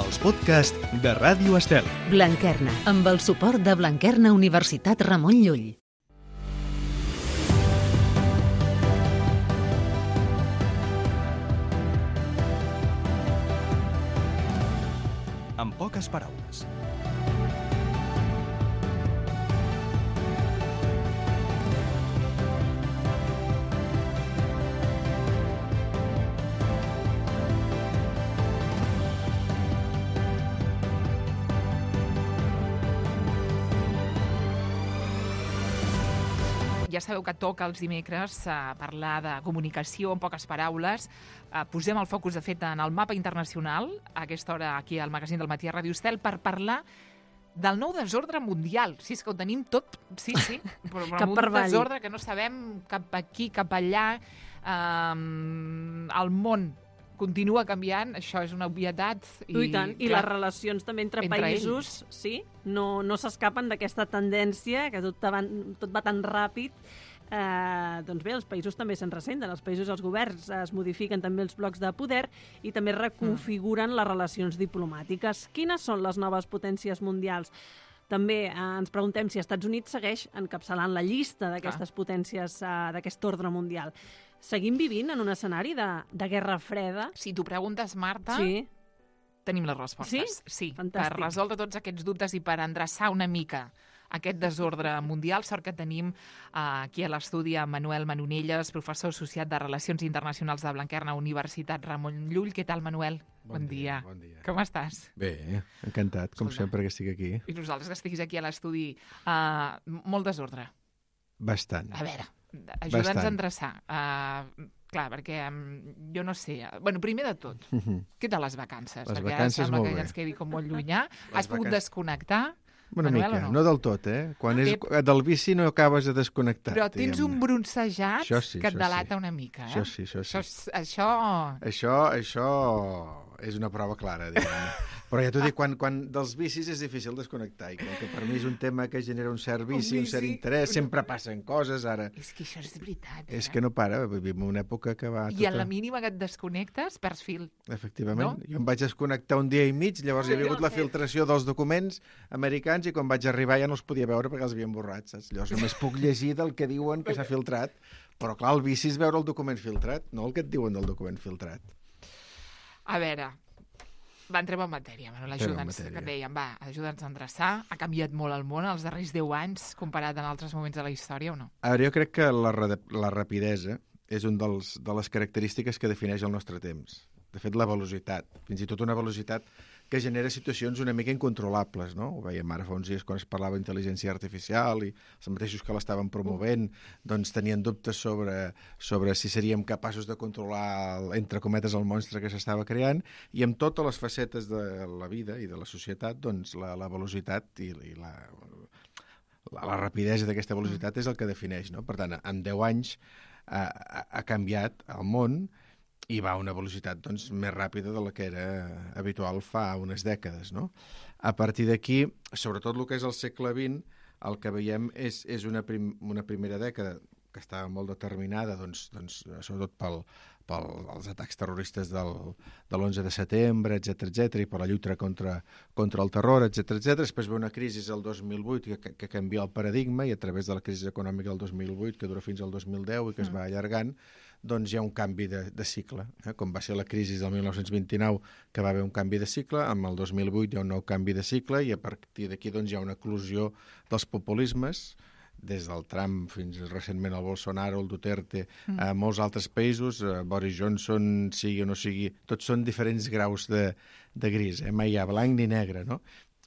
els podcasts de Ràdio Estel. Blanquerna, amb el suport de Blanquerna Universitat Ramon Llull. En poques paraules. Ja sabeu que toca els dimecres parlar de comunicació en poques paraules. Posem el focus, de fet, en el mapa internacional, a aquesta hora aquí al magazín del matí a Ràdio Estel, per parlar del nou desordre mundial. Sí, és que ho tenim tot, sí, però un desordre que no sabem cap aquí, cap allà. El món continua canviant, això és una obvietat. I tant, i les relacions també entre països, ells. Sí, no s'escapen d'aquesta tendència, que tot va tan ràpid. Doncs bé, els països també se'n ressenten, els països, els governs es modifiquen també els blocs de poder i també reconfiguren les relacions diplomàtiques. Quines són les noves potències mundials? També ens preguntem si Estats Units segueix encapçalant la llista d'aquestes potències d'aquest ordre mundial. Seguim vivint en un escenari de guerra freda? Si t'ho preguntes, Marta, tenim les respostes. Sí, fantàstic. Per resoldre tots aquests dubtes i per endreçar una mica aquest desordre mundial, sort que tenim aquí a l'estudi a Manuel Manonelles, professor associat de Relacions Internacionals de Blanquerna Universitat Ramon Llull. Què tal, Manuel? Bon dia. Bon dia. Com estàs? Bé, encantat, com sempre que estic aquí. I nosaltres que estiguis aquí a l'estudi. Molt desordre. Bastant. A veure, ajuda'ns a endreçar. Clar, perquè jo no sé... Bueno, primer de tot, què tal les vacances? Les perquè vacances sembla molt que bé. ens quedi com molt llunyà. Has pogut desconnectar? Una Manuel, mica, o no del tot, Quan és del bici no acabes de desconnectar. Però tens un bronzejat que et delata una mica, Això sí. Això és una prova clara, diguem-ne. Però ja t'ho dic, quan dels bicis és difícil desconnectar, i com que per mi és un tema que genera un cert vici, un cert interès, sempre passen coses, ara... És que això és veritat, És que no para, vivim en una època que va... I a la mínima que et desconnectes, perds fil. Efectivament. No? Jo em vaig desconnectar un dia i mig, llavors hi havia hagut la filtració dels documents americans i quan vaig arribar ja no els podia veure perquè els havien borrat, saps? Llavors només puc llegir del que diuen que s'ha filtrat, però clar, el vici és veure el document filtrat, no el que et diuen del document filtrat. A veure, entrem en matèria, Manuel, ajuda'ns, que dèiem, ajuda'ns a endreçar. Ha canviat molt el món els darrers 10 anys comparat amb altres moments de la història, o no? A veure, jo crec que la rapidesa és un de les característiques que defineix el nostre temps. De fet, la velocitat, fins i tot una velocitat que genera situacions una mica incontrolables, no? Ho veiem ara fa uns dies quan es parlava d'intel·ligència artificial i els mateixos que l'estaven promovent doncs tenien dubtes sobre si seríem capaços de controlar, entre cometes, el monstre que s'estava creant, i amb totes les facetes de la vida i de la societat, doncs la velocitat i la rapidesa d'aquesta velocitat és el que defineix, no? Per tant, en 10 anys ha canviat el món i va a una velocitat doncs, més ràpida de la que era habitual fa unes dècades, no? A partir d'aquí, sobretot el que és el segle XX, el que veiem és una primera dècada que estava molt determinada, doncs, sobretot pels atacs terroristes de l'11 de setembre, etc i per la lluita contra el terror, etc. Després ve una crisi el 2008 que canvia el paradigma, i a través de la crisi econòmica del 2008, que dura fins al 2010 i que es va allargant, doncs hi ha un canvi de cicle. Com va ser la crisi del 1929, que va haver un canvi de cicle, amb el 2008 hi ha un nou canvi de cicle, i a partir d'aquí doncs, hi ha una eclosió dels populismes, des del Trump fins recentment el Bolsonaro, el Duterte, a molts altres països, Boris Johnson, sigui o no sigui, tots són diferents graus de gris, mai hi ha blanc ni negre, no?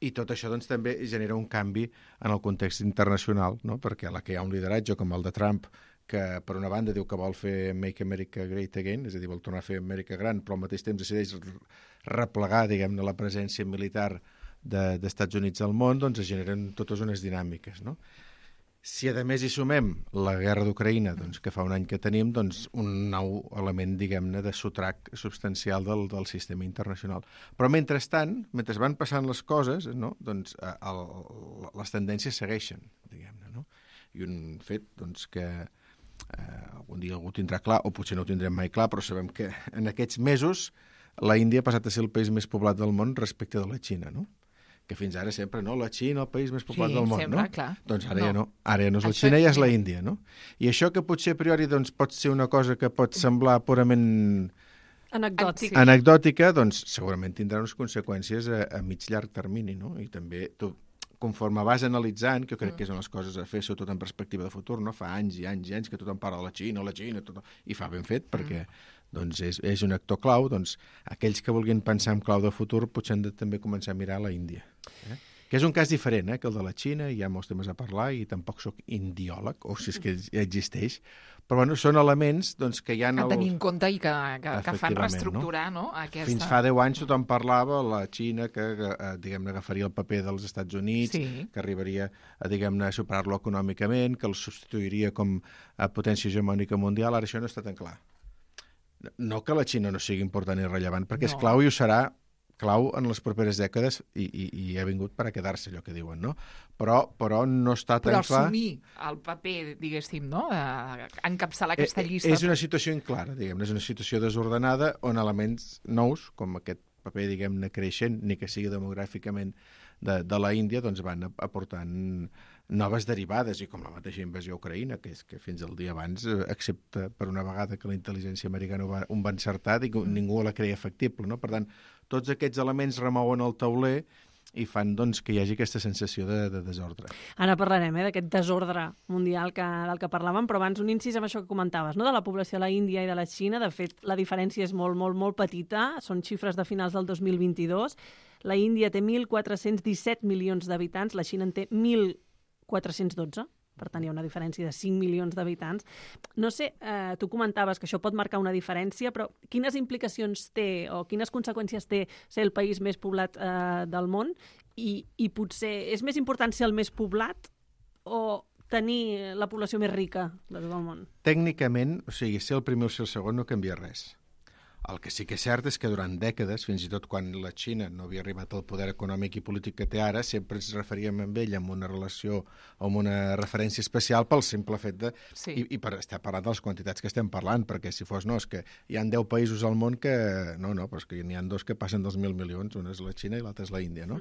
I tot això doncs, també genera un canvi en el context internacional, no? Perquè a la que hi ha un lideratge com el de Trump, que per una banda diu que vol fer Make America Great Again, és a dir, vol tornar a fer Amèrica gran, però al mateix temps decideix replegar, diguem-ne, la presència militar d'Estats Units al món, doncs es generen totes unes dinàmiques, no? Si a més hi sumem la guerra d'Ucraïna, doncs, que fa un any que tenim, doncs un nou element, diguem-ne, de sotrac substancial del sistema internacional. Però mentrestant, mentre van passant les coses, no? Doncs les tendències segueixen, diguem-ne, no? I un fet doncs, que algun dia algú tindrà clar, o potser no ho tindrem mai clar, però sabem que en aquests mesos la Índia ha passat a ser el país més poblat del món respecte de la Xina, no? Que fins ara sempre, no? La Xina, el país més poblat del món, sempre, no? Clar. Doncs ara ja no. Ara ja no és la Això Xina, ja és ja. la Índia, no? I això que potser a priori doncs, pot ser una cosa que pot semblar purament Anecdòtic. Sí. anecdòtica, doncs segurament tindrà unes conseqüències a mig llarg termini, no? I també tu, conforme vas analitzant, que jo crec que són les coses a fer, sobretot en perspectiva de futur, no? Fa anys i anys i anys que tothom parla de la Xina, tot, i fa ben fet, perquè doncs és un actor clau, doncs aquells que vulguin pensar en clau de futur potser han de també començar a mirar la Índia. Que és un cas diferent, que el de la Xina, hi ha molts temes a parlar i tampoc sóc indiòleg, o si és que ja existeix, però bueno, són elements doncs, que hi ha... A tenir en compte i que fan Efectivament, reestructurar, no? Aquesta... Fins fa 10 anys tothom parlava la Xina que diguem-ne, agafaria el paper dels Estats Units, Sí. que arribaria a, diguem-ne, a superar-lo econòmicament, que el substituiria com a potència hegemònica mundial. Ara això no està tan clar. No que la Xina no sigui important i rellevant, perquè és No. clau i ho serà clau en les properes dècades i ha vingut per a quedar-se, allò que diuen, no? Però no està tan Però clar... assumir el paper, diguéssim, no? Encapçalar aquesta llista. És una situació inclara, diguem-ne, és una situació desordenada on elements nous, com aquest paper, diguem-ne, creixent, ni que sigui demogràficament de la Índia, doncs van aportant noves derivades, i com la mateixa invasió a Ucraïna, que és que fins al dia abans, excepte per una vegada que la intel·ligència americana ho va encertar, ningú la creia factible, no? Per tant, tots aquests elements remouen el tauler i fan doncs, que hi hagi aquesta sensació de desordre. Ara parlarem d'aquest desordre mundial del que parlàvem, però abans un incís amb això que comentaves, no? De la població de la Índia i de la Xina. De fet, la diferència és molt, molt, molt petita. Són xifres de finals del 2022. La Índia té 1.417 milions d'habitants, la Xina en té 1.412. Per tant, hi ha una diferència de 5 milions d'habitants. No sé, tu comentaves que això pot marcar una diferència, però quines implicacions té o quines conseqüències té ser el país més poblat del món? I potser és més important ser el més poblat o tenir la població més rica de tot el món? Tècnicament, o sigui, ser el primer o ser el segon no canvia res. El que sí que és cert és que durant dècades, fins i tot quan la Xina no havia arribat al poder econòmic i polític que té ara, sempre ens referíem amb ell amb una relació o amb una referència especial pel simple fet de... Sí. I per estar parlant de les quantitats que estem parlant, perquè si fos, no, és que hi ha 10 països al món que... No, però és que n'hi ha 2 que passen dels 1.000 milions, una és la Xina i l'altra és la Índia, no?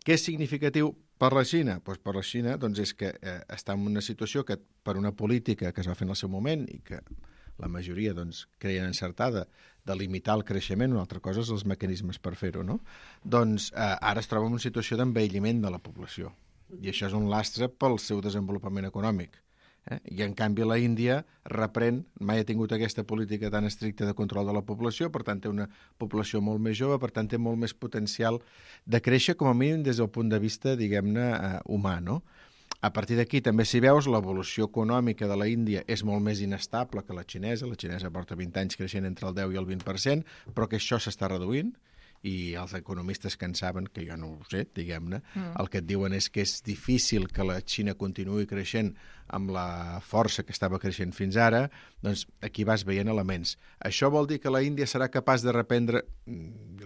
Què és significatiu per la Xina? Doncs per la Xina doncs és que està en una situació que per una política que es va fer en el seu moment i que la majoria doncs, creien encertada de limitar el creixement, una altra cosa és els mecanismes per fer-ho, no? Doncs ara es troba en una situació d'envelliment de la població. I això és un lastre pel seu desenvolupament econòmic. I en canvi la Índia reprèn, mai ha tingut aquesta política tan estricta de control de la població, per tant té una població molt més jove, per tant té molt més potencial de créixer, com a mínim des del punt de vista, diguem-ne, humà, no? A partir d'aquí, també si veus, l'evolució econòmica de la Índia és molt més inestable que la xinesa. La xinesa porta 20 anys creixent entre el 10 i el 20%, però que això s'està reduint, i els economistes que en saben, que jo no ho sé, diguem-ne, el que et diuen és que és difícil que la Xina continuï creixent amb la força que estava creixent fins ara, doncs aquí vas veient elements. Això vol dir que la Índia serà capaç de reprendre...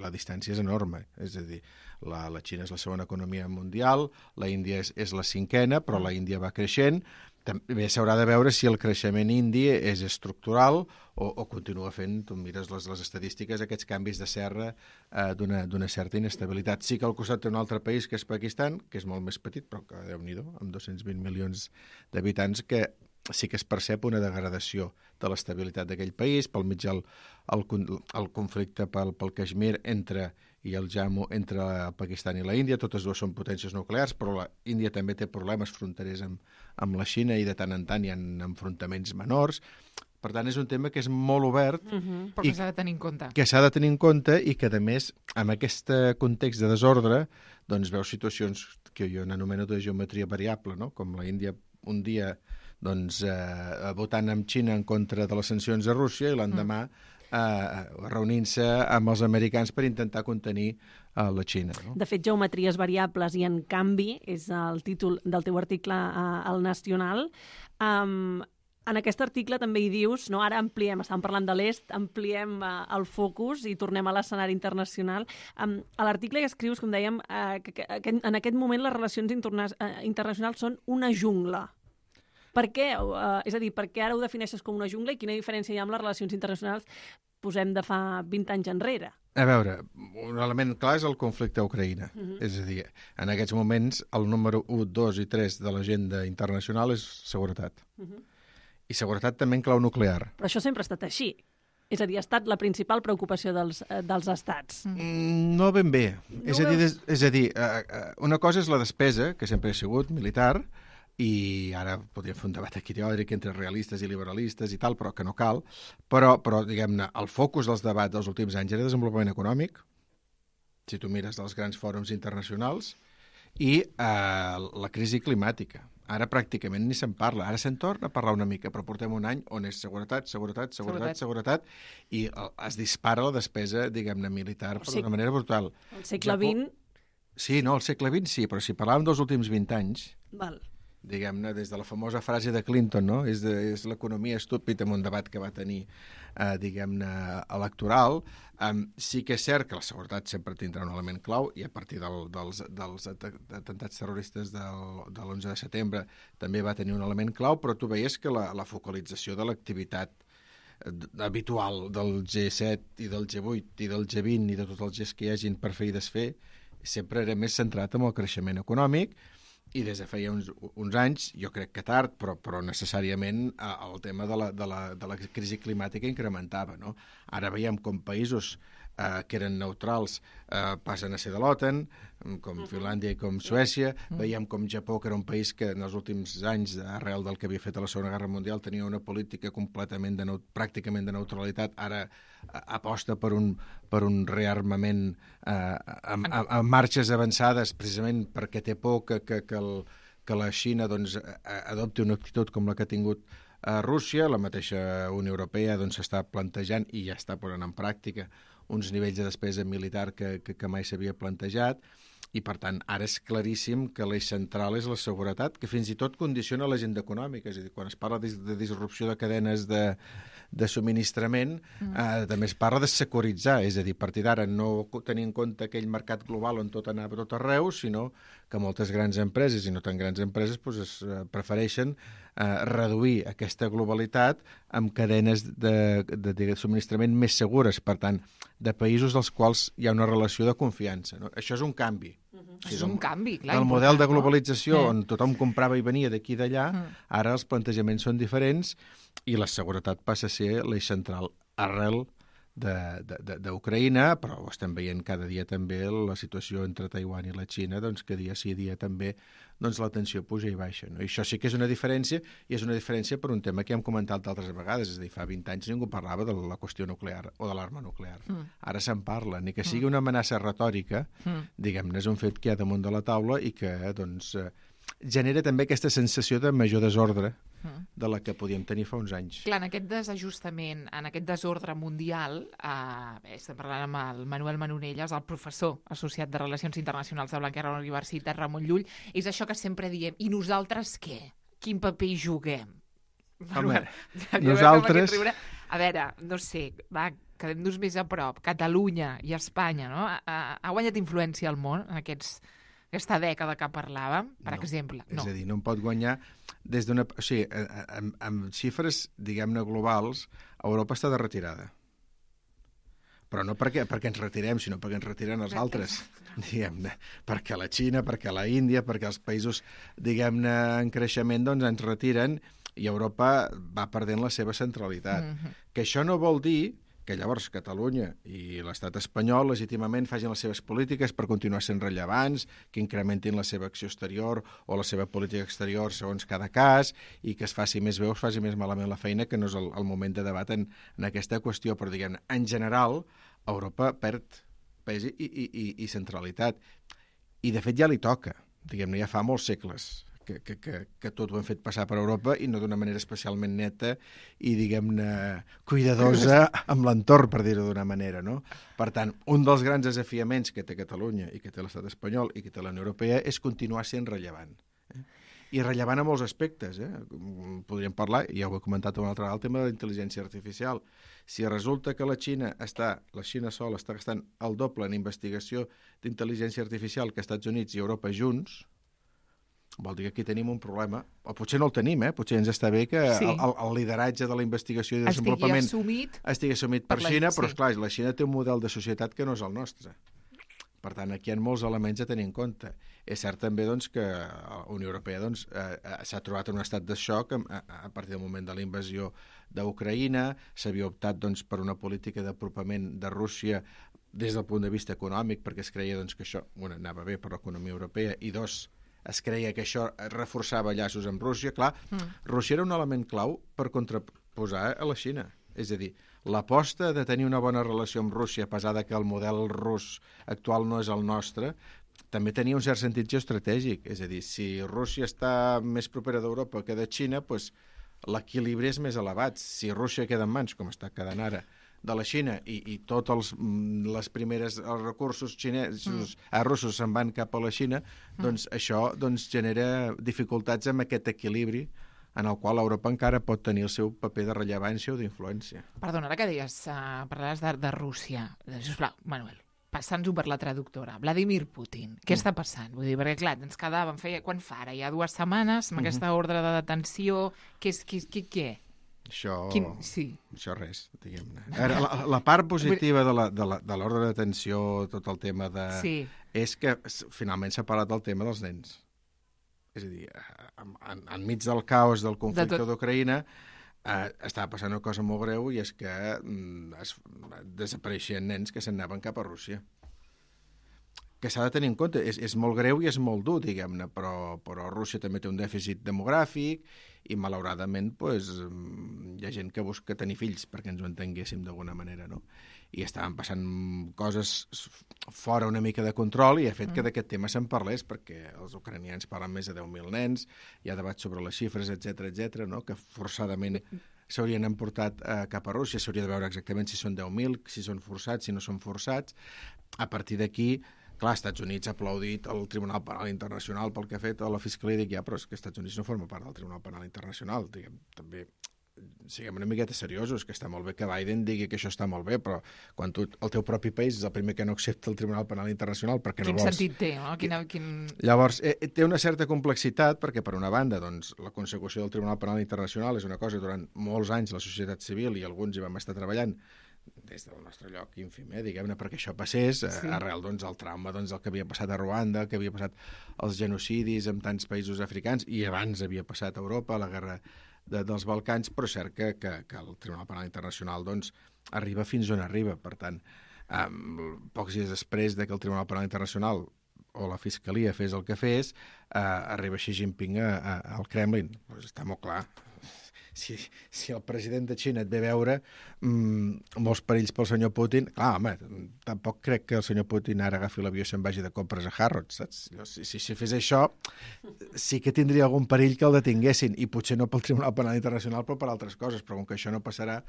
La distància és enorme, és a dir, la Xina és la segona economia mundial, la Índia és la cinquena, però la Índia va creixent. També s'haurà de veure si el creixement indi és estructural o continua fent, tu mires les estadístiques, aquests canvis de serra d'una certa inestabilitat. Sí que al costat té un altre país, que és Pakistan, que és molt més petit, però que, Déu-n'hi-do, amb 220 milions d'habitants, que sí que es percep una degradació de l'estabilitat d'aquell país, pel mig el conflicte pel Caixmir i el Jammu entre el Pakistan i la Índia. Totes dues són potències nuclears, però la Índia també té problemes fronterers amb la Xina i de tant en tant hi ha enfrontaments menors. Per tant, és un tema que és molt obert Però que s'ha de tenir en compte. Que s'ha de tenir en compte i que, a més, en aquest context de desordre, doncs veus situacions que jo n'anomeno de geometria variable, no? Com la Índia un dia doncs, votant amb Xina en contra de les sancions a Rússia i l'endemà reunint-se amb els americans per intentar contenir la Xina. No? De fet, geometries variables i en canvi és el títol del teu article al Nacional. En aquest article també hi dius, no, ara ampliem, estàvem parlant de l'est, ampliem el focus i tornem a l'escenari internacional. A l'article hi escrius, com dèiem, que en aquest moment les relacions internacionals són una jungla. Per què? És a dir, per què ara ho defineixes com una jungla i quina diferència hi ha amb les relacions internacionals posem de fa 20 anys enrere. A veure, un element clar és el conflicte a Ucraïna. És a dir, en aquests moments el número 1, 2 i 3 de l'agenda internacional és seguretat. I seguretat també en clau nuclear. Però això sempre ha estat així. És a dir, ha estat la principal preocupació dels estats. No ben bé. És a dir, una cosa és la despesa, que sempre ha sigut militar, i ara podríem fer un debat aquí teòric entre realistes i liberalistes i tal, però que no cal. Però diguem-ne, el focus dels debats dels últims anys era desenvolupament econòmic, si tu mires els grans fòrums internacionals, i la crisi climàtica. Ara pràcticament ni se'n parla. Ara se'n torna a parlar una mica, però portem un any on és seguretat, i es dispara la despesa, diguem-ne, militar d'una manera brutal. Al segle XX... Sí, no, al segle XX sí, però si parlàvem dels últims 20 anys... Val. Diguem-ne, des de la famosa frase de Clinton, no? És l'economia estúpida, en un debat que va tenir, diguem-ne, electoral. Sí que és cert que la seguretat sempre tindrà un element clau, i a partir dels atemptats terroristes de l'11 de setembre també va tenir un element clau, però tu veies que la focalització de l'activitat habitual del G7 i del G8 i del G20 i de tots els Gs que hi hagin per fer i desfer sempre era més centrat en el creixement econòmic. I des de feia uns anys, jo crec que tard, però necessàriament el tema de la crisi climàtica incrementava. No? Ara veiem com països que eren neutrals passen a ser de l'OTAN, com Finlàndia i com Suècia. Veiem com Japó, que era un país que en els últims anys, arrel del que havia fet a la Segona Guerra Mundial, tenia una política completament pràcticament de neutralitat, ara aposta per un rearmament amb marxes avançades, precisament perquè té por que la Xina doncs, adopti una actitud com la que ha tingut Rússia. La mateixa Unió Europea s'està plantejant i ja està posant en pràctica uns nivells de despesa militar que mai s'havia plantejat, i per tant ara és claríssim que l'eix central és la seguretat, que fins i tot condiciona l'agenda econòmica. És a dir, quan es parla de disrupció de cadenes de subministrament, també es parla de securitzar, és a dir, a partir d'ara no tenir en compte aquell mercat global on tot anava tot arreu, sinó que moltes grans empreses i no tan grans empreses prefereixen reduir aquesta globalitat amb cadenes de subministrament més segures, per tant, de països dels quals hi ha una relació de confiança. No? Això és un canvi. És un canvi, clar. El model de globalització, on tothom comprava i venia d'aquí i d'allà, ara els plantejaments són diferents i la seguretat passa a ser l'eix central arrel d'Ucraïna, però ho estem veient cada dia també la situació entre Taiwan i la Xina, doncs que dia sí dia també la tensió puja i baixa. No? I això sí que és una diferència, i és una diferència per un tema que hem comentat d'altres vegades, és a dir, fa 20 anys ningú parlava de la qüestió nuclear o de l'arma nuclear. Ara se'n parla, ni que sigui una amenaça retòrica, diguem-ne, és un fet que hi ha damunt de la taula i que genera també aquesta sensació de major desordre de la que podíem tenir fa uns anys. Clar, en aquest desajustament, en aquest desordre mundial, estem parlant amb el Manuel Manonelles, el professor associat de Relacions Internacionals de Blanquerna a la Universitat Ramon Llull, és això que sempre diem, i nosaltres què? Quin paper hi juguem? Home, nosaltres... A veure, no sé, quedem-nos més a prop. Catalunya i Espanya, no? Ha guanyat influència al món en aquesta dècada que parlàvem, per exemple. No. És a dir, no en pot guanyar des d'una... O sigui, amb xifres, diguem-ne, globals, Europa està de retirada. Però no perquè ens retirem, sinó perquè ens retiren els altres, diguem-ne. Perquè la Xina, perquè la Índia, perquè els països, diguem-ne, en creixement, doncs ens retiren i Europa va perdent la seva centralitat. Que això no vol dir que llavors Catalunya i l'estat espanyol legítimament facin les seves polítiques per continuar sent rellevants, que incrementin la seva acció exterior o la seva política exterior segons cada cas, i que es faci més bé o es faci més malament la feina, que no és el moment de debat en aquesta qüestió. Però, diguem-ne, en general, Europa perd pes i centralitat. I, de fet, ja li toca. Diguem-ne, ja fa molts segles que tot ho hem fet passar per Europa, i no d'una manera especialment neta i, diguem-ne, cuidadosa amb l'entorn, per dir-ho d'una manera, no? Per tant, un dels grans desafiaments que té Catalunya i que té l'estat espanyol i que té la Unió Europea és continuar sent rellevant. I rellevant a molts aspectes. Podríem parlar, ja ho he comentat una altra vegada, el tema de la intel·ligència artificial. Si resulta que la Xina sola està gastant el doble en investigació d'intel·ligència artificial que Estats Units i Europa junts, vol dir que aquí tenim un problema, o potser no el tenim, potser ens està bé que el lideratge de la investigació i desenvolupament estigui assumit per Xina, però esclar, la Xina té un model de societat que no és el nostre. Per tant, aquí hi ha molts elements a tenir en compte. És cert també doncs, que la Unió Europea doncs, s'ha trobat en un estat de xoc a partir del moment de la invasió d'Ucraïna, s'havia optat doncs, per una política d'apropament de Rússia des del punt de vista econòmic, perquè es creia doncs, que això anava bé per l'economia europea, i dos, es creia que això reforçava llaços amb Rússia. Clar, Rússia era un element clau per contraposar a la Xina. És a dir, l'aposta de tenir una bona relació amb Rússia, a pesar que el model rus actual no és el nostre, també tenia un cert sentit geoestratègic. És a dir, si Rússia està més propera d'Europa que de Xina, doncs l'equilibri és més elevat. Si Rússia queda en mans, com està quedant ara, de la Xina i tots els recursos russos se'n van cap a la Xina, doncs això genera dificultats amb aquest equilibri en el qual Europa encara pot tenir el seu paper de rellevància o d'influència. Perdona, ara que deies, parlaves de Rússia. Sisplau, Manuel, passant-ho per la traductora. Vladimir Putin, què està passant? Vull dir, perquè clar, ens quedàvem, quan fa ara? Ja 2 setmanes, amb aquesta ordre de detenció, què? Això res, diguem-ne. La part positiva de l'ordre de detenció, tot el tema és que finalment s'ha parlat del tema dels nens. És a dir, enmig del caos del conflicte d'Ucraïna estava passant una cosa molt greu, i és que desapareixien nens que se'n anaven cap a Rússia. Que s'ha de tenir en compte. És molt greu i és molt dur, diguem-ne, però Rússia també té un dèficit demogràfic i, malauradament, hi ha gent que busca tenir fills, perquè ens ho entenguéssim d'alguna manera, no? I estaven passant coses fora una mica de control, i ha fet que d'aquest tema se'n parlés, perquè els ucranians parlen més de 10.000 nens, hi ha debat sobre les xifres, etc., no? Que forçadament s'haurien emportat cap a Rússia. S'hauria de veure exactament si són 10.000, si són forçats, si no són forçats. A partir d'aquí, clar, Estats Units ha aplaudit el Tribunal Penal Internacional pel que ha fet a la Fiscalia, i dic, però és que Estats Units no forma part del Tribunal Penal Internacional. Diguem, també siguem una miqueta seriosos, que està molt bé que Biden digui que això està molt bé, però quan el teu propi país és el primer que no accepta el Tribunal Penal Internacional perquè no vols... Quin sentit té, no? Llavors, té una certa complexitat, perquè per una banda, doncs, la consecució del Tribunal Penal Internacional és una cosa durant molts anys la societat civil, i alguns hi vam estar treballant des del nostre lloc ínfim, diguem-ne, perquè això passés, arrel del trauma del que havia passat a Ruanda, que havia passat els genocidis en tants països africans, i abans havia passat a Europa, la guerra dels Balcans, però és cert que el Tribunal Penal Internacional arriba fins on arriba. Per tant, pocs dies després que el Tribunal Penal Internacional o la Fiscalia fes el que fes, arriba Xi Jinping al Kremlin. Pues està molt clar. Si el president de Xina et ve a veure, molts perills pel senyor Putin, clar, home, tampoc crec que el senyor Putin ara agafi l'avió i se'n vagi de compres a Harrods, saps? Si fes això, sí que tindria algun perill que el detinguessin, i potser no pel Tribunal Penal Internacional, però per altres coses, però com que això no passarà,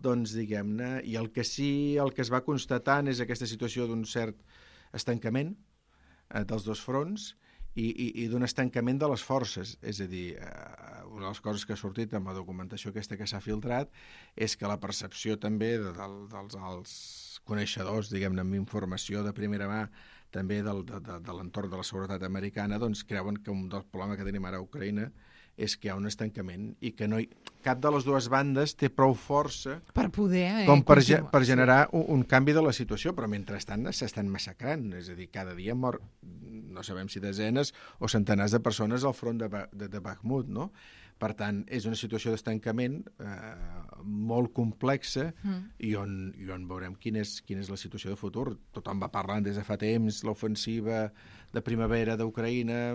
doncs, diguem-ne, i el que es va constatant és aquesta situació d'un cert estancament dels dos fronts, i d'un estancament de les forces. És a dir, una de les coses que ha sortit amb la documentació aquesta que s'ha filtrat és que la percepció també dels coneixedors, diguem-ne, amb informació de primera mà, també de l'entorn de la seguretat americana, doncs creuen que un dels problemes que tenim ara a Ucraïna és que hi ha un estancament i que cap de les dues bandes té prou força per poder per generar un canvi de la situació, però mentrestant s'estan massacrant. És a dir, cada dia mor, no sabem si desenes o centenars de persones al front de Bakhmut, no? Per tant, és una situació d'estancament molt complexa, i on veurem quina és la situació de futur. Tothom va parlant des de fa temps, l'ofensiva de primavera d'Ucraïna,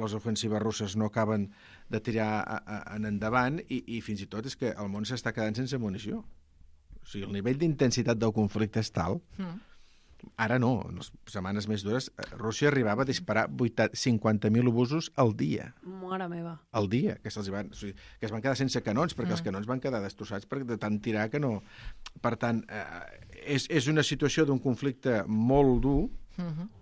les ofensives russes no acaben de tirar en endavant, i fins i tot és que el món s'està quedant sense munició. O sigui, el nivell d'intensitat del conflicte és tal... Ara no, en les setmanes més dures, Rússia arribava a disparar 50.000 obusos al dia. Mare meva. Al dia, que es van quedar sense canons, perquè els canons van quedar destrossats de tant tirar que no... Per tant, és una situació d'un conflicte molt dur,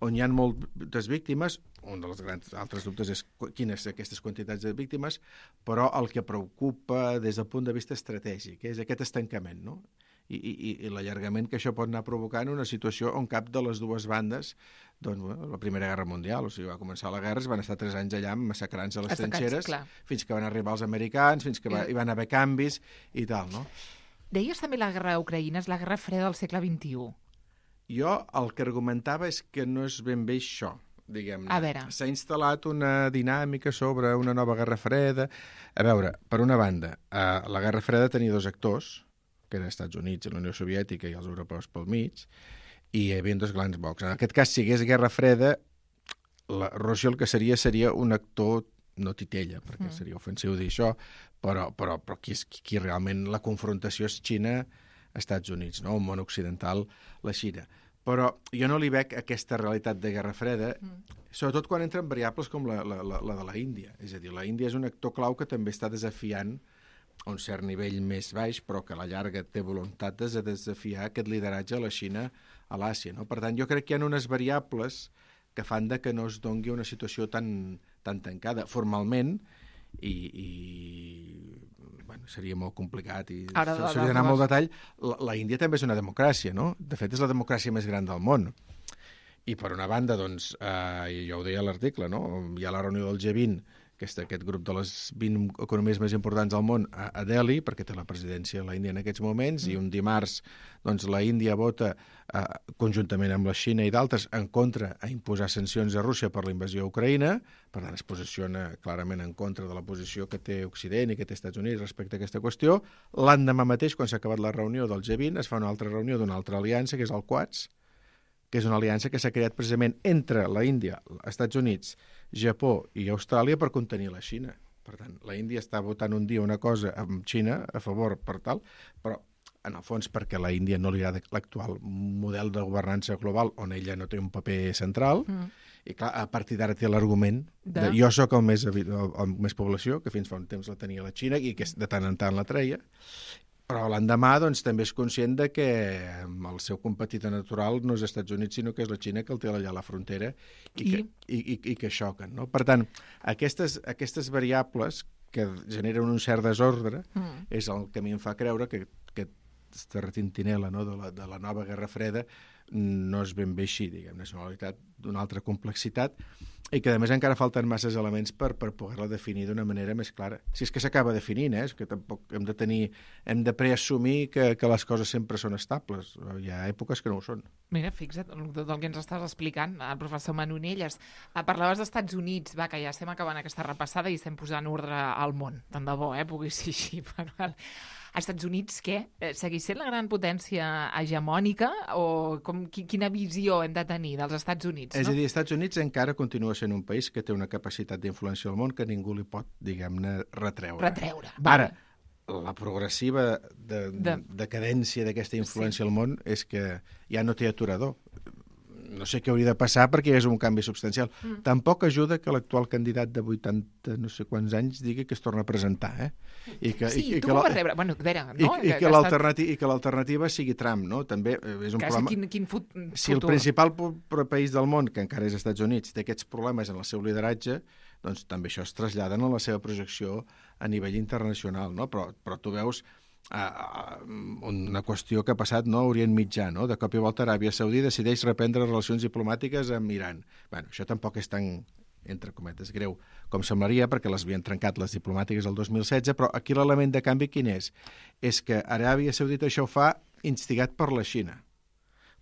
on hi ha moltes víctimes. Un dels grans altres dubtes és quines aquestes quantitats de víctimes, però el que preocupa des del punt de vista estratègic és aquest estancament, no? i l'allargament que això pot anar provocant una situació on cap de les dues bandes, doncs, la Primera Guerra Mundial, o sigui, va començar la guerra, es van estar 3 anys allà massacrant-se a les trinxeres, fins que van arribar els americans, fins que hi van haver canvis i tal, no? Deies també la guerra a Ucraïna és la guerra freda del segle XXI. Jo el que argumentava és que no és ben bé això, diguem-ne. A veure. S'ha instal·lat una dinàmica sobre una nova guerra freda. A veure, per una banda, la guerra freda tenia 2 actors, que eren els Estats Units i la Unió Soviètica i els europeus pel mig, i hi havia 2 grans blocs. En aquest cas, si hi hagués guerra freda, la Rússia el que seria un actor no titella, perquè seria ofensiu dir això, però qui realment la confrontació és Xina-Estats Units, no? El món occidental, la Xina. Però jo no li veig aquesta realitat de guerra freda, sobretot quan entren variables com la de la Índia. És a dir, la Índia és un actor clau que també està desafiant a un cert nivell més baix, però que a la llarga té voluntat de desafiar aquest lideratge a la Xina a l'Àsia, no? Per tant, jo crec que hi ha unes variables que fan que no es doni una situació tan tancada formalment i bueno, seria molt complicat i s'hauria d'anar molt detall. La Índia també és una democràcia, no? De fet, és la democràcia més gran del món. I per una banda, doncs, jo ho deia a l'article, no? Hi ha la reunió del G20, que és aquest grup de les 20 economies més importants del món a Delhi, perquè té la presidència de la Índia en aquests moments, i un dimarts doncs, la Índia vota conjuntament amb la Xina i d'altres en contra a imposar sancions a Rússia per la invasió a Ucraïna, per tant es posiciona clarament en contra de la posició que té Occident i que té Estats Units respecte a aquesta qüestió. L'endemà mateix, quan s'ha acabat la reunió del G20, es fa una altra reunió d'una altra aliança, que és el Quads, que és una aliança que s'ha creat precisament entre la Índia, els Estats Units, Japó i Austràlia per contenir la Xina. Per tant, la Índia està votant un dia una cosa amb Xina a favor per tal, però en el fons perquè a la Índia no li agrada l'actual model de governança global on ella no té un paper central, i clar, a partir d'ara té l'argument de jo sóc el més població, que fins fa un temps la tenia la Xina i que de tant en tant la treia, però l'endemà doncs, també és conscient de que el seu competidor natural no és els Estats Units, sinó que és la Xina que el té allà a la frontera i que xoquen. No? Per tant, aquestes variables que generen un cert desordre és el que a mi em fa creure que aquesta retintinela, no, de la nova Guerra Freda no és ben bé així, diguem-ne, és una realitat d'una altra complexitat i que, a més, encara falten masses elements per poder-la definir d'una manera més clara. Si és que s'acaba definint, és que tampoc hem de preassumir que les coses sempre són estables. Hi ha èpoques que no ho són. Mira, fixa't, del que ens estàs explicant, el professor Manonelles. Parlaves dels Estats Units, va, que ja estem acabant aquesta repassada i estem posant ordre al món. Tant de bo, pugui ser així. Als Estats Units, què? Segueix sent la gran potència hegemònica o quina visió hem de tenir dels Estats Units? És a dir, els Estats Units encara continua sent un país que té una capacitat d'influència al món que ningú li pot, diguem-ne, retreure. Ara, la progressiva decadència d'aquesta influència al món és que ja no té aturador. No sé què hauria de passar perquè és un canvi substancial. Tampoc ajuda que l'actual candidat de 80 no sé quants anys digui que es torna a presentar, I que l'alternativa sigui Trump, no? També és un problema... Quin futur? Si el principal país del món, que encara és els Estats Units, té aquests problemes en el seu lideratge, doncs també això es trasllada en la seva projecció a nivell internacional, no? Però tu veus una qüestió que ha passat a Orient Mitjà, no? De cop i volta Aràbia Saudí decideix reprendre relacions diplomàtiques amb Iran. Això tampoc és tan, entre cometes, greu com semblaria, perquè les havien trencat les diplomàtiques el 2016, però aquí l'element de canvi quin és? És que Aràbia Saudita això ho fa instigat per la Xina,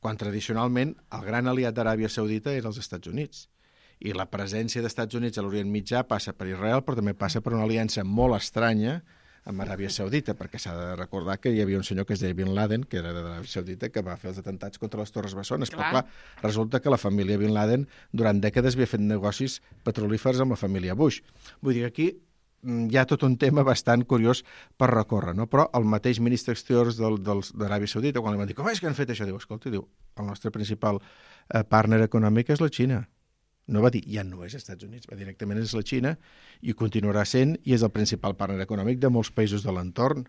quan tradicionalment el gran aliat d'Aràbia Saudita era els Estats Units. I la presència dels Estats Units a l'Orient Mitjà passa per Israel, però també passa per una aliança molt estranya amb Aràbia Saudita, perquè s'ha de recordar que hi havia un senyor que es deia Bin Laden, que era d'Aràbia Saudita, que va fer els atentats contra les Torres Bessones. Però clar, resulta que la família Bin Laden durant dècades havia fet negocis petrolífers amb la família Bush. Vull dir que aquí hi ha tot un tema bastant curiós per recórrer, no? Però el mateix ministre exteriors d'Aràbia Saudita, quan li van dir com és que han fet això, diu, escolta, el nostre principal partner econòmic és la Xina. No va dir, ja no és als Estats Units, va directament és la Xina i continuarà sent i és el principal partner econòmic de molts països de l'entorn.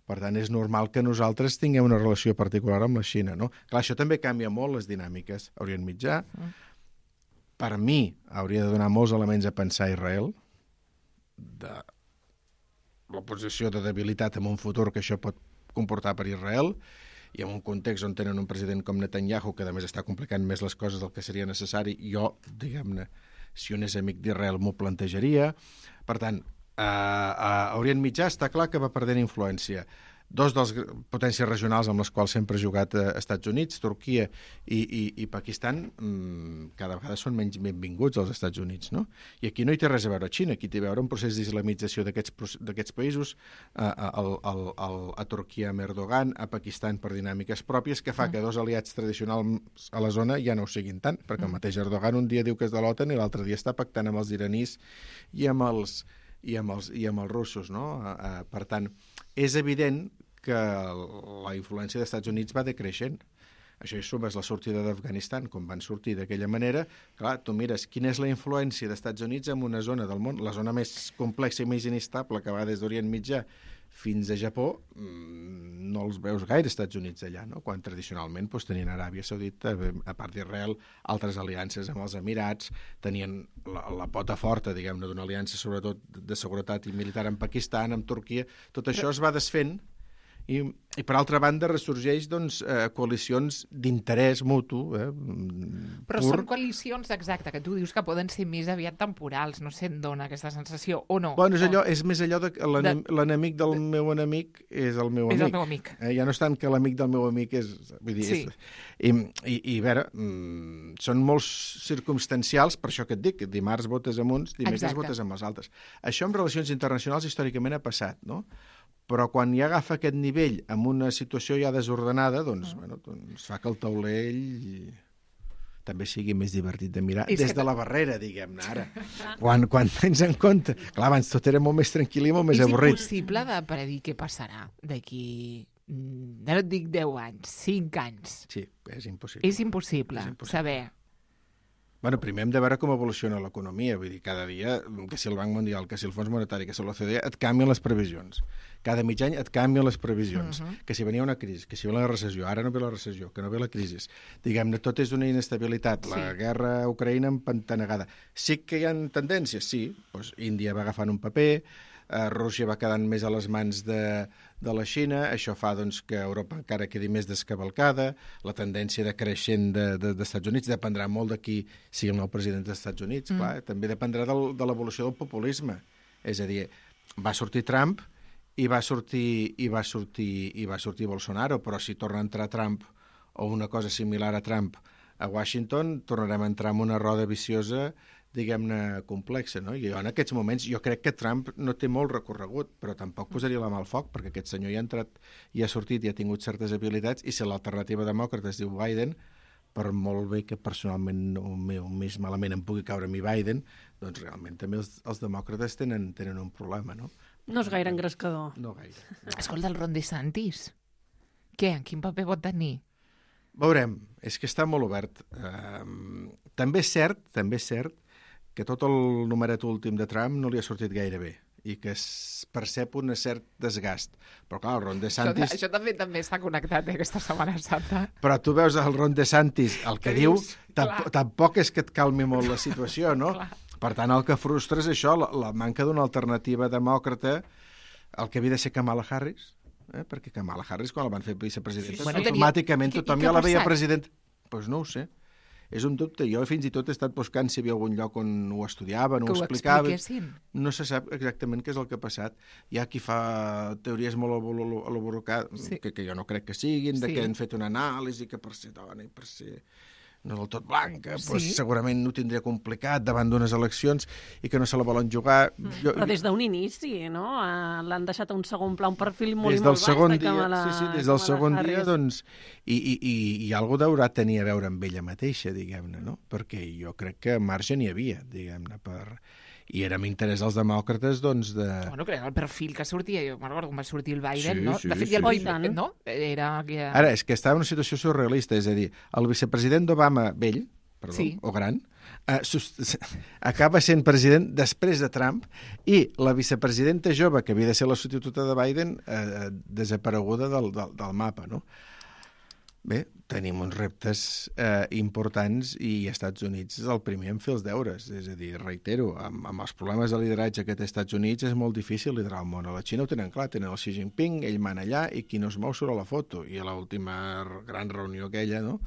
Per tant, és normal que nosaltres tinguem una relació particular amb la Xina, no? Clar, això també canvia molt les dinàmiques a Orient Mitjà. Per mi, hauria de donar molts elements a pensar a Israel de la posició de debilitat en un futur que això pot comportar per Israel i en un context on tenen un president com Netanyahu, que a més està complicant més les coses del que seria necessari, jo, diguem-ne, si un és amic d'Israel m'ho plantejaria. Per tant, a Orient Mitjà està clar que va perdent influència. Dos dels potències regionals amb les quals sempre ha jugat Estats Units, Turquia i Pakistan, cada vegada són menys benvinguts als Estats Units, no? I aquí no hi té res a veure Xina, aquí té a veure un procés d'islamització d'aquests països, a Turquia amb Erdogan, a Pakistan per dinàmiques pròpies, que fa que dos aliats tradicionals a la zona ja no ho siguin tant, perquè el mateix Erdogan un dia diu que és de l'OTAN i l'altre dia està pactant amb els iranís i amb els russos, no? Per tant, és evident que la influència dels Estats Units va decreixent. Això hi sumes la sortida d'Afganistan, com van sortir d'aquella manera. Clar, tu mires quina és la influència dels Estats Units en una zona del món, la zona més complexa i més inestable, que va des d'Orient Mitjà fins a Japó, no els veus gaire Estats Units allà, no? Quan tradicionalment tenien Aràbia Saudita, a part d'Israel, altres aliances amb els Emirats, tenien la pota forta, diguem-ne, d'una aliança sobretot de seguretat i militar amb Pakistan, amb Turquia. Tot això es va desfent i per altra banda ressorgeix coalicions d'interès mutu. Però són coalicions, exacte, que tu dius que poden ser més aviat temporals, no sé, em dona aquesta sensació, o no? Bueno, és més allò de que l'enemic del meu enemic és el meu amic. És el meu amic. Ja no és tant que l'amic del meu amic és... Vull dir, sí. I a veure, són molt circumstancials, per això que et dic, dimarts votes amb uns, dimecres votes amb els altres. Això en relacions internacionals històricament ha passat, no? Però quan ja agafa aquest nivell amb una situació ja desordenada, doncs fa que el taulell també sigui més divertit de mirar des de la barrera, diguem-ne, ara. Quan tens en compte... Clar, abans tot era molt més tranquil i molt més avorrit. És impossible de predir què passarà d'aquí, no et dic 10 anys, 5 anys. Sí, és impossible. És impossible saber... Bueno, primer hem de veure com evoluciona l'economia, vull dir, cada dia, que si el Banc Mundial, que si el Fons Monetari, que si l'OCDE, et canvien les previsions. Cada mig any et canvien les previsions. Que si venia una crisi, que si ve la recessió, ara no ve la recessió, que no ve la crisi. Diguem-ne, tot és una inestabilitat. La guerra a Ucraïna empantanegada. Sí que hi ha tendències, sí. Doncs Índia va agafant un paper, Rússia va quedant més a les mans de la Xina, això fa que Europa encara quedi més descavalcada, la tendència de creixent dels Estats Units dependrà molt de qui sigui el nou president dels Estats Units, clar, també dependrà de l'evolució del populisme. És a dir, va sortir Trump i va sortir Bolsonaro, però si torna a entrar Trump o una cosa similar a Trump a Washington, tornarem a entrar en una roda viciosa, diguem-ne, complexa, no? I en aquests moments jo crec que Trump no té molt recorregut, però tampoc posaria la mà al foc, perquè aquest senyor ja ha entrat, ja ha sortit i ha tingut certes habilitats, i si l'alternativa demòcrata es diu Biden, per molt bé que personalment més malament em pugui caure a mi Biden, doncs realment també els demòcrates tenen un problema, no? No és gaire engrescador. No gaire. Escolta, el Ron DeSantis, què? En quin paper pot tenir? Veurem, és que està molt obert. També és cert que tot el numeret últim de Trump no li ha sortit gaire bé i que es percep un cert desgast. Però clar, el Ron DeSantis... Això també està connectat, aquesta Setmana Santa. Però tu veus el Ron DeSantis, el que diu, tampoc és que et calmi molt la situació, no? Per tant, el que frustra és això, la manca d'una alternativa demòcrata, el que havia de ser Kamala Harris, perquè Kamala Harris, quan la van fer vicepresidenta, automàticament tothom ja la veia president. Doncs no ho sé. És un dubte. Jo fins i tot he estat buscant si hi havia algun lloc on ho estudiaven, ho explicaven. Que ho expliquessin. No se sap exactament què és el que ha passat. Hi ha qui fa teories molt elaborades, que jo no crec que siguin, de que han fet una anàlisi, que per ser dona i per ser no del tot blanca, doncs segurament ho tindria complicat davant d'unes eleccions i que no se la volen jugar. Però des d'un inici, no? L'han deixat a un segon pla, un perfil molt baix de Kamala. Des del segon dia, doncs, i alguna deurà tenir a veure amb ella mateixa, diguem-ne, no? Perquè jo crec que marge n'hi havia, diguem-ne, i era amb interès dels demòcrates, doncs, de... Bueno, crec que el perfil que sortia, jo me'n recordo quan va sortir el Biden, no? De fet, no? Era... Ara, és que estava en una situació surrealista, és a dir, el vicepresident d'Obama vell, o gran, acaba sent president després de Trump i la vicepresidenta jove, que havia de ser la substituta de Biden, desapareguda del mapa, no? Bé, tenim uns reptes importants i Estats Units és el primer en fer els deures. És a dir, reitero, amb els problemes de lideratge que té Estats Units és molt difícil liderar el món. A la Xina ho tenen clar, tenen el Xi Jinping, ell mana allà i qui no es mou surt a la foto. I a l'última gran reunió aquella, no?,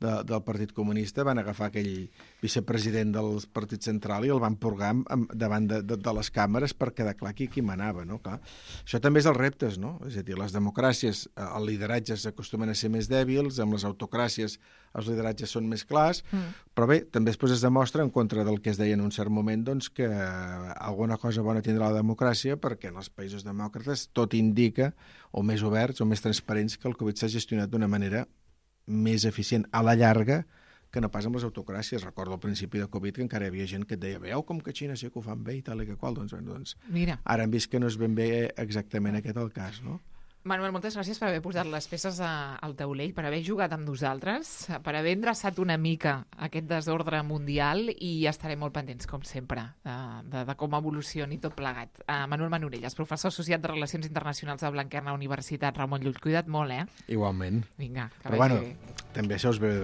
del Partit Comunista van agafar aquell vicepresident del Partit Central i el van purgar davant de les càmeres per quedar clar qui manava, no? Clar. Això també és els reptes, no? És a dir, les democràcies, el lideratge s'acostumen a ser més dèbils, amb les autocràcies els lideratges són més clars, però bé, també després es demostra, en contra del que es deia en un cert moment, doncs que alguna cosa bona tindrà la democràcia, perquè en els països demòcrates tot indica, o més oberts o més transparents, que el Covid s'ha gestionat d'una manera més eficient a la llarga que no pas amb les autocràcies. Recordo al principi de Covid que encara hi havia gent que et deia veieu com que a Xina sí que ho fan bé i tal i que qual. Doncs Mira. Ara hem vist que no és ben bé exactament aquest el cas, no? Manuel, moltes gràcies per haver posat les peces al taulell, per haver jugat amb nosaltres, per haver endreçat una mica aquest desordre mundial i estarem molt pendents, com sempre, de com evolucioni tot plegat. Manuel Manorelles, professor associat de Relacions Internacionals de Blanquerna Universitat Ramon Llull. Cuida't molt, Igualment. Vinga, que però bueno, també això us ve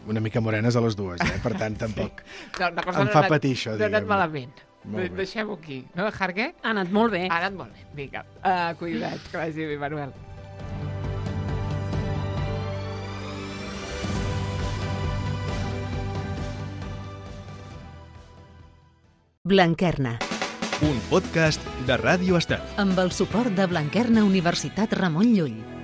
una mica morenes a les dues, per tant, tampoc em fa patir això, diguem. No ha anat malament. Deixem-ho aquí. No, Jarque? Ha anat molt bé. Ha anat molt bé. Vinga, cuida't, que vagi bé, Manuel. Blanquerna, Un podcast de Ràdio Estel. amb el suport de Blanquerna Universitat Ramon Llull.